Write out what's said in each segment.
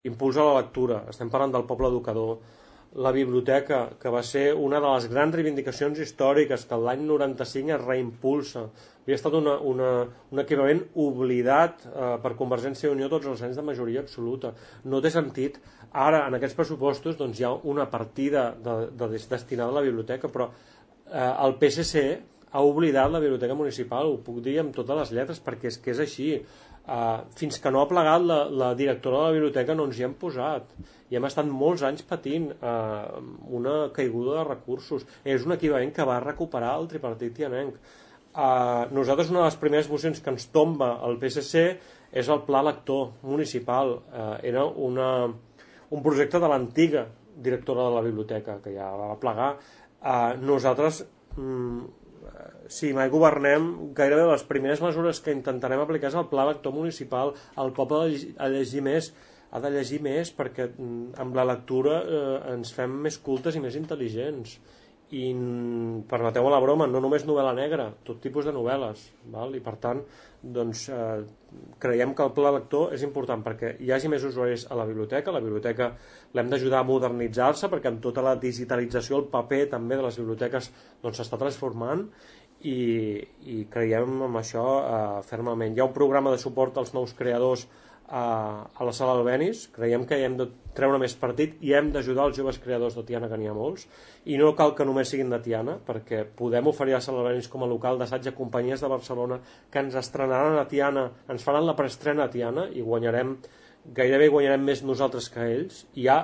impuls a la lectura, estem parlant del poble educador, la biblioteca, que va ser una de les grans reivindicacions històriques, que l'any 95 es reimpulsa. Havia estat un equivalent oblidat per Convergència i Unió tots els anys de majoria absoluta. No té sentit. Ara, en aquests pressupostos, doncs, hi ha una partida destinada a la biblioteca, però el PSC ha oblidat la biblioteca municipal, ho puc dir amb totes les lletres, perquè és que és així. Fins que no ha plegat la directora de la biblioteca no ens hi hem posat i hem estat molts anys patint una caiguda de recursos. És un equivalent que va recuperar el tripartit tianenc. Nosaltres una de les primeres mocions que ens tomba el PSC és el pla lector municipal. Era un projecte de l'antiga directora de la biblioteca que ja va plegar. Nosaltres si mai governem, gairebé les primeres mesures que intentarem aplicar és el pla lector municipal. El poble ha de llegir més perquè amb la lectura ens fem més cultes i més intel·ligents. I permeteu la broma, no només novel·la negra, tot tipus de novel·les, val? I per tant doncs, creiem que el pla lector és important perquè hi hagi més usuaris a la biblioteca l'hem d'ajudar a modernitzar-se perquè amb tota la digitalització el paper també de les biblioteques s'està transformant i creiem en això fermament. Hi ha un programa de suport als nous creadors a la Sala Albéniz, creiem que hi hem de treure més partit i hem d'ajudar els joves creadors de Tiana, que n'hi ha molts, i no cal que només siguin de Tiana, perquè podem oferir a la Sala Albéniz com a local d'assaig a companyies de Barcelona que ens estrenaran a Tiana, ens faran la preestrena a Tiana i gairebé guanyarem més nosaltres que ells. Hi ha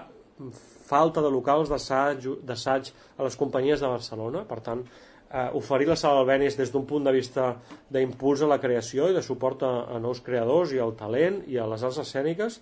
falta de locals d'assaig a les companyies de Barcelona, per tant oferir la Sala Albéniz des d'un punt de vista d'impuls a la creació i de suport a nous creadors i al talent i a les arts escèniques